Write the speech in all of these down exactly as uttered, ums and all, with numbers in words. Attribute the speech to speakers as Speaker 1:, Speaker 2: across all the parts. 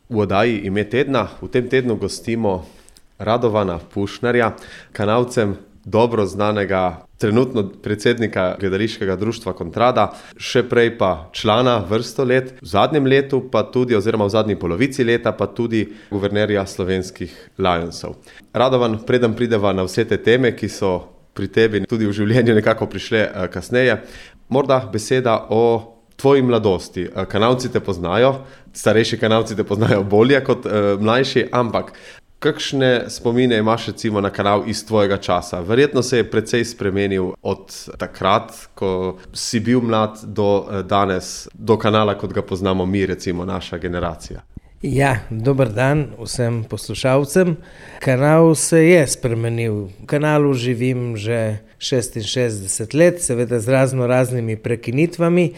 Speaker 1: V oddaji Ime tedna v tem tednu gostimo Radovana Pušnarja, Kanalcem dobro znanega trenutno predsednika gledališkega društva Kontrada, še prej pa člana vrsto let, v zadnjem letu pa tudi, oziroma v zadnji polovici leta pa tudi guvernerja slovenskih Lionsov. Radovan, preden prideva na vse te teme, ki so pri tebi tudi v življenju nekako prišle kasneje, morda beseda o tvoji mladosti. Kanalci te poznajo, starejši kanalci te poznajo bolje kot mlajši, ampak kakšne spomine imaš recimo na kanal iz tvojega časa? Verjetno se je precej spremenil od takrat, ko si bil mlad, do danes, do kanala, kot ga poznamo mi, recimo naša generacija.
Speaker 2: Ja, dober dan vsem poslušalcem. Kanal se je spremenil. V kanalu živim že šestinšestdeset let, seveda z razno raznimi prekinitvami,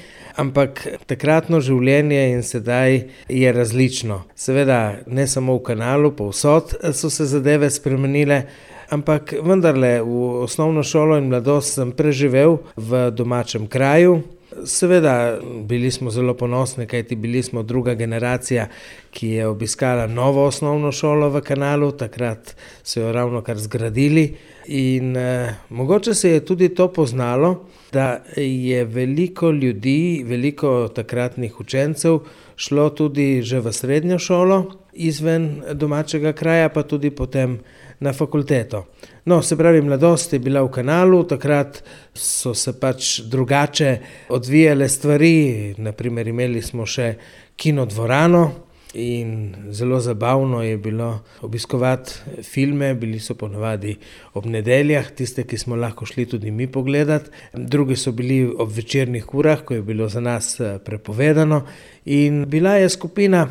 Speaker 2: ampak takratno življenje in sedaj je različno. Seveda ne samo v kanalu, povsod so se zadeve spremenile, ampak vendarle v osnovno šolo in mladost sem preživel v domačem kraju. Seveda bili smo zelo ponosni, kajti bili smo druga generacija, ki je obiskala novo osnovno šolo v kanalu, takrat so jo ravno kar zgradili in eh, mogoče se je tudi to poznalo, da je veliko ljudi, veliko takratnih učencev šlo tudi že v srednjo šolo izven domačega kraja, pa tudi potem na fakulteto. No, se pravi, mladost je bila v kanalu, takrat so se pač drugače odvijale stvari, naprimer imeli smo še kinodvorano in zelo zabavno je bilo obiskovati filme, bili so ponavadi ob nedeljah, tiste, ki smo lahko šli tudi mi pogledati, drugi so bili ob večernih urah, ko je bilo za nas prepovedano in bila je skupina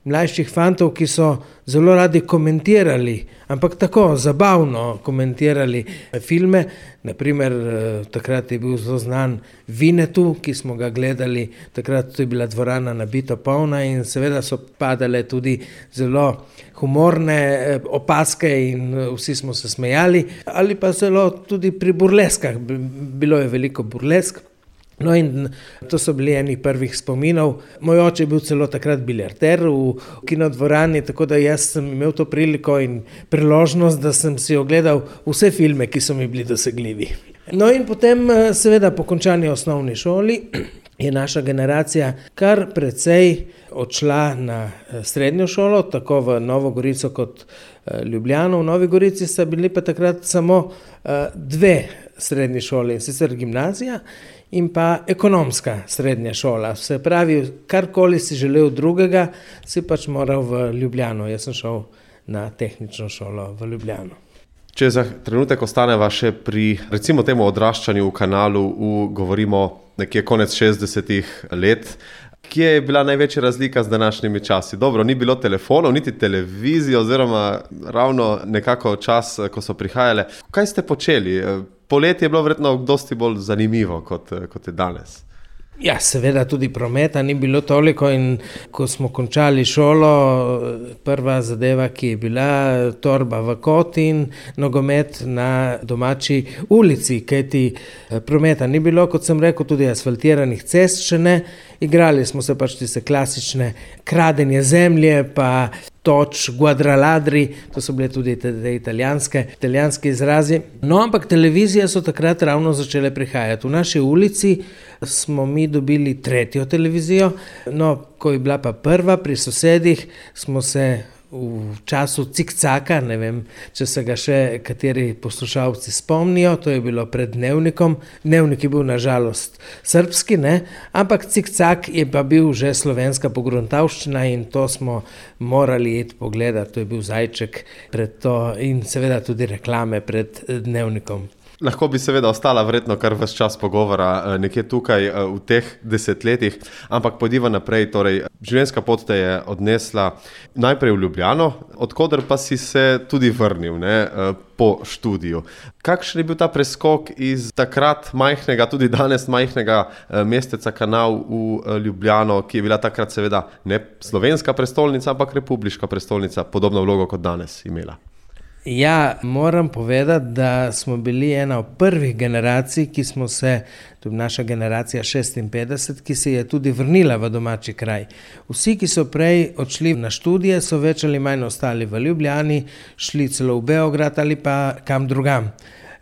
Speaker 2: mlajših fantov, ki so zelo radi komentirali, ampak tako zabavno komentirali filme. Naprimer, takrat je bil zelo znan Vinetu, ki smo ga gledali, takrat je bila dvorana nabito polna in seveda so padale tudi zelo humorne opaske in vsi smo se smejali, ali pa zelo tudi pri burleskah, bilo je veliko burlesk. No in to so bili eni prvih spominov. Moj oče je bil celo takrat biljarder v kinodvorani, tako da jaz sem imel to priliko in priložnost, da sem si ogledal vse filme, ki so mi bili dosegljivi. No in potem seveda po končani osnovni šoli je naša generacija kar precej odšla na srednjo šolo, tako v Novo Gorico kot Ljubljano. V Novi Gorici sta bili pa takrat samo dve srednji šoli, in sicer gimnazija in pa ekonomska srednja šola. Se pravi, karkoli si želel drugega, si pač moral v Ljubljano. Jaz sem šel na tehnično šolo v Ljubljano.
Speaker 1: Če za trenutek ostaneva še pri recimo temu odraščanju v kanalu, v, govorimo nekje konec šestdesetih let, kje je bila največja razlika z današnjimi časi? Dobro, ni bilo telefonov, niti televizije, oziroma ravno nekako čas, ko so prihajale. Kaj ste počeli? Poletje je bilo verjetno dosti bolj zanimivo, kot, kot je danes.
Speaker 2: Ja, seveda tudi prometa ni bilo toliko in ko smo končali šolo, prva zadeva, ki je bila, torba v kot in nogomet na domači ulici, kajti prometa ni bilo, kot sem rekel, tudi asfaltiranih cest še ne. Igrali smo se pač tiste klasične kradenje zemlje, pa toč, guadraladri, to so bile tudi te, te italijanske, italijanske izrazi. No, ampak televizije so takrat ravno začele prihajati. V naši ulici smo mi dobili tretjo televizijo, no, ko je bila pa prva pri sosedih, smo se v času cikcaka, ne vem, če se ga še kateri poslušalci spomnijo, to je bilo pred Dnevnikom. Dnevnik je bil na žalost srbski, ne, ampak cikcak je pa bil že slovenska pogruntavščina in to smo morali iti pogledati, to je bil zajček pred to in seveda tudi reklame pred Dnevnikom.
Speaker 1: Lahko bi seveda ostala verjetno kar ves čas pogovora nekje tukaj v teh desetletjih, ampak pojdiva naprej, torej življenjska pot te je odnesla najprej v Ljubljano, odkoder pa si se tudi vrnil, ne, po študiju. Kakšen je bil ta preskok iz takrat majhnega, tudi danes majhnega mesteca Kanal v Ljubljano, ki je bila takrat seveda ne slovenska prestolnica, ampak republiška prestolnica, podobno vlogo kot danes imela?
Speaker 2: Ja, moram povedati, da smo bili ena od prvih generacij, ki smo se, tudi naša generacija šestinpetdeset, ki se je tudi vrnila v domači kraj. Vsi, ki so prej odšli na študije, so več ali manj ostali v Ljubljani, šli celo v Beograd ali pa kam drugam.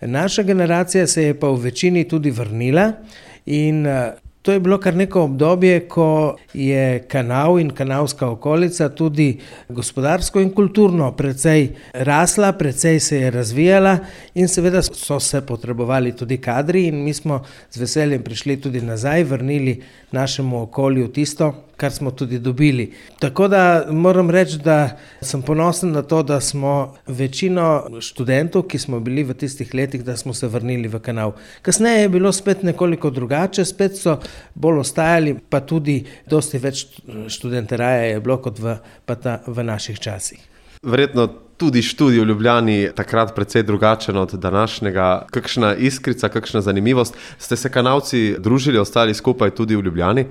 Speaker 2: Naša generacija se je pa v večini tudi vrnila in to je bilo kar neko obdobje, ko je Kanal in kanalska okolica tudi gospodarsko in kulturno precej rasla, precej se je razvijala in seveda so se potrebovali tudi kadri in mi smo z veseljem prišli tudi nazaj, vrnili našemu okolju tisto, kar smo tudi dobili. Tako da moram reči, da sem ponosen na to, da smo večino študentov, ki smo bili v tistih letih, da smo se vrnili v Kanal. Kasneje je bilo spet nekoliko drugače, spet so bolj ostajali, pa tudi dosti več študenteraja je bilo kot v, pa ta, v naših časih.
Speaker 1: Verjetno tudi študij v Ljubljani takrat precej drugačen od današnjega. Kakšna iskrica, kakšna zanimivost? Ste se Kanalci družili, ostali skupaj tudi v Ljubljani?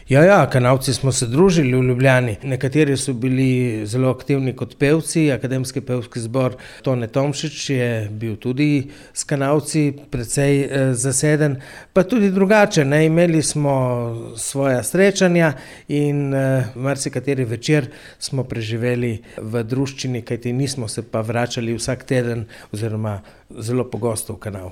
Speaker 2: Ja, ja, Kanalci smo se družili v Ljubljani. Nekateri so bili zelo aktivni kot pevci, Akademski pevski zbor Tone Tomšič je bil tudi s Kanalci precej eh, zaseden, pa tudi drugače, ne, imeli smo svoja srečanja in eh, marsikateri večer smo preživeli v druščini, kajti nismo se pa vračali vsak teden oziroma zelo pogosto v Kanal.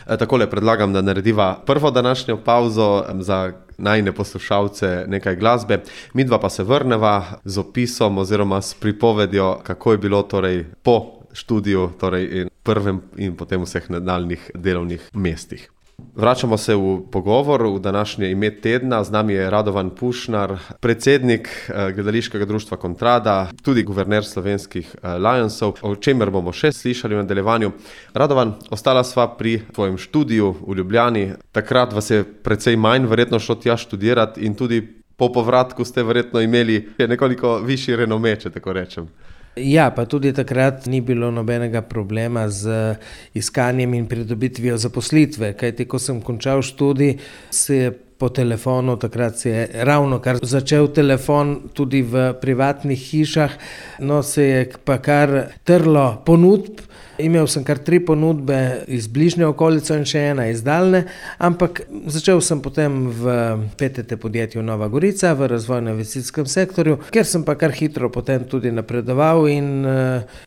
Speaker 1: Takole predlagam, da narediva prvo današnjo pauzo za najine poslušalce nekaj glasbe. Midva pa se vrneva z opisom oziroma s pripovedjo, kako je bilo torej po študiju, torej in prvem in potem vseh nadaljnjih delovnih mestih. Vračamo se v pogovor v današnje ime tedna. Z nami je Radovan Pušnar, predsednik Gledališkega društva Kontrada, tudi guverner slovenskih Lionsov, o čemer bomo še slišali v nadaljevanju. Radovan, ostala sva pri tvojem študiju v Ljubljani. Takrat vas je precej manj verjetno šlo tja študirati in tudi po povratku ste verjetno imeli nekoliko višji renome, če tako rečem.
Speaker 2: Ja, pa tudi takrat ni bilo nobenega problema z iskanjem in pridobitvijo zaposlitve, kajti ko sem končal študij, se je po telefonu, takrat se je ravno kar začel telefon tudi v privatnih hišah, no se je pa kar trlo ponudb. Imel sem kar tri ponudbe iz bližnje okolice in še ena iz daljne, ampak začel sem potem v P T T podjetju Nova Gorica v razvojno-investicijskem sektorju, kjer sem pa kar hitro potem tudi napredoval in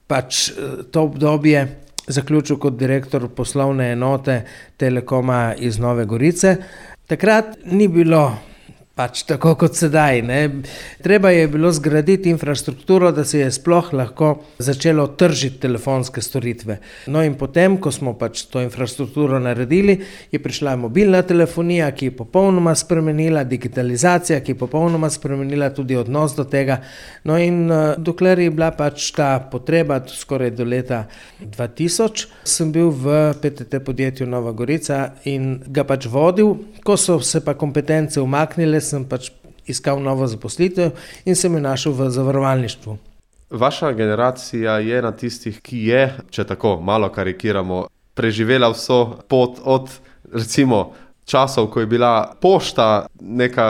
Speaker 2: pač to obdobje zaključil kot direktor poslovne enote Telekoma iz Nove Gorice. Takrat ni bilo pač tako kot sedaj, ne. Treba je bilo zgraditi infrastrukturo, da se je sploh lahko začelo tržiti telefonske storitve. No in potem, ko smo pač to infrastrukturo naredili, je prišla mobilna telefonija, ki je popolnoma spremenila, digitalizacija, ki je popolnoma spremenila tudi odnos do tega. No in dokler je bila pač ta potreba, skoraj do leta dva tisoč, sem bil v P T T podjetju Nova Gorica in ga pač vodil. Ko so se pa kompetence umaknile, sem pač iskal novo zaposlitev in sem jo našel v zavarovalništvu.
Speaker 1: Vaša generacija je na tistih, ki je, če tako malo karikiramo, preživela vso pot od recimo časov, ko je bila pošta neka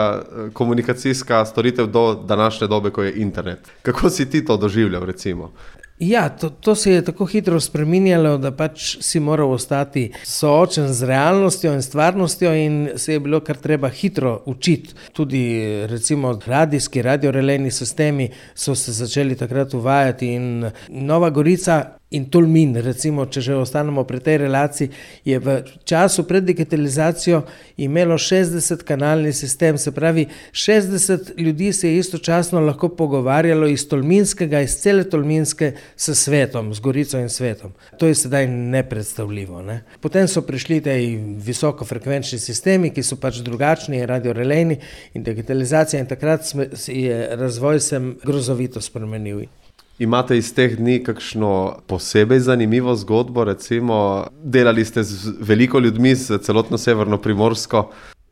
Speaker 1: komunikacijska storitev do današnje dobe, ko je internet. Kako si ti to doživljal recimo?
Speaker 2: Ja, to, to se je tako hitro spreminjalo, da pač si moral ostati soočen z realnostjo in stvarnostjo in se je bilo kar treba hitro učiti. Tudi recimo radijski, radiorelejni sistemi so se začeli takrat uvajati in Nova Gorica in Tolmin, recimo, če že ostanemo pri tej relaciji, je v času pred digitalizacijo imelo šestdeset kanalni sistem, se pravi šestdeset ljudi se je istočasno lahko pogovarjalo iz Tolminskega, iz cele Tolminske s svetom, z Gorico in svetom. To je sedaj nepredstavljivo, ne. Potem so prišli tej visokofrekvenčni sistemi, ki so pač drugačni, radiorelejni in digitalizacija in takrat je razvoj sem grozovito spremenil.
Speaker 1: Imate iz teh dni kakšno posebej zanimivo zgodbo, recimo delali ste z veliko ljudmi, z celotno severno Primorsko?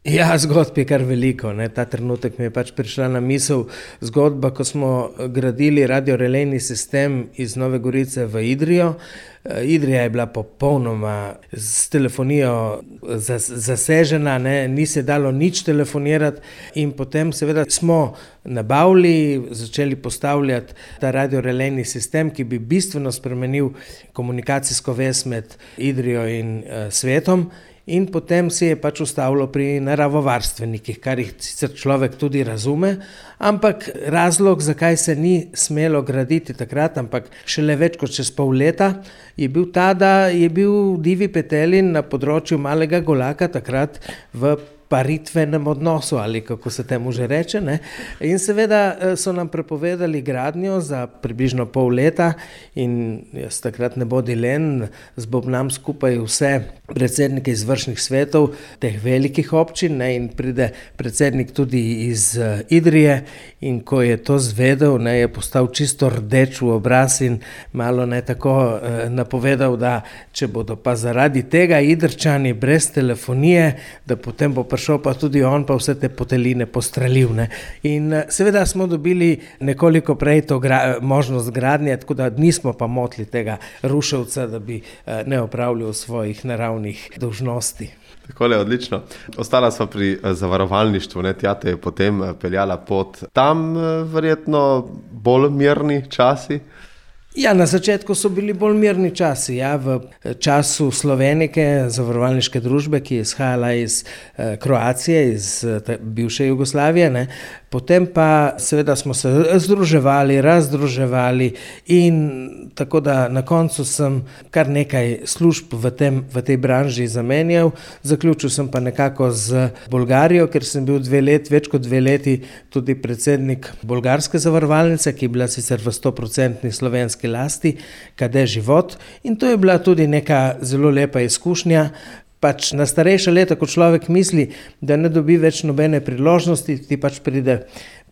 Speaker 2: Ja, zgodb je kar veliko. Ne. Ta trenutek mi je pač prišla na misel zgodba, ko smo gradili radiorelejni sistem iz Nove Gorice v Idrijo. Idrija je bila popolnoma s telefonijo zasežena, ne, ni se dalo nič telefonirati in potem seveda smo nabavili, začeli postavljati ta radiorelejni sistem, ki bi bistveno spremenil komunikacijsko vez med Idrijo in uh, svetom. In potem se je pač ustavilo pri naravovarstvenikih, kar jih sicer človek tudi razume, ampak razlog, zakaj se ni smelo graditi takrat, ampak šele več kot čez pol leta, je bil ta, da je bil divji petelin na področju Malega Golaka takrat v paritvenem odnosu, ali kako se temu že reče, ne. In seveda so nam prepovedali gradnjo za približno pol leta in jaz takrat ne bodi len, zbobnam skupaj vse predsednike izvršnih svetov teh velikih občin, ne, in pride predsednik tudi iz Idrije in ko je to zvedel, ne, je postal čisto rdeč v obraz in malo ne tako eh, napovedal, da če bodo pa zaradi tega Idrčani brez telefonije, da potem bo prišel pa tudi on pa vse te poteline postrelil. Ne. In seveda smo dobili nekoliko prej to gra- možnost gradnje, tako da nismo pa motili tega ruševca, da bi eh, ne opravljal svojih naravnih dolžnosti.
Speaker 1: Takole, odlično. Ostala sva pri zavarovalništvu, ne, tja te je potem peljala pot. Tam verjetno bolj mirni časi?
Speaker 2: Ja, na začetku so bili bolj mirni časi, ja, v času Slovenike, zavarovalniške družbe, ki je izhajala iz eh, Kroacije, iz eh, bivše Jugoslavije, ne. Potem pa seveda smo se združevali, razdruževali in tako da na koncu sem kar nekaj služb v, tem, v tej branži zamenjal. Zaključil sem pa nekako z Bolgarijo, ker sem bil dve let, več kot dve leti tudi predsednik bolgarske zavarovalnice, ki je bila sicer v stoprocentni slovenski lasti, K D Život, in to je bila tudi neka zelo lepa izkušnja. Pač na starejša leta, ko človek misli, da ne dobi več nobene priložnosti, ti pač pride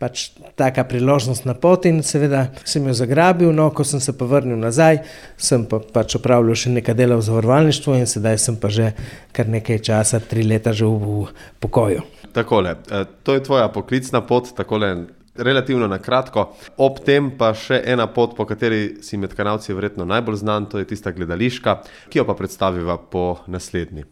Speaker 2: pač taka priložnost na pot in seveda sem jo zagrabil, no, ko sem se pa vrnil nazaj, sem pa pač opravljal še nekaj dela v zavarovalništvu in sedaj sem pa že kar nekaj časa, tri leta že v pokoju.
Speaker 1: Takole, to je tvoja poklicna pot, takole relativno na kratko. Ob tem pa še ena pot, po kateri si med Kanalci verjetno najbolj znan, to je tista gledališka, ki jo pa predstaviva po naslednji.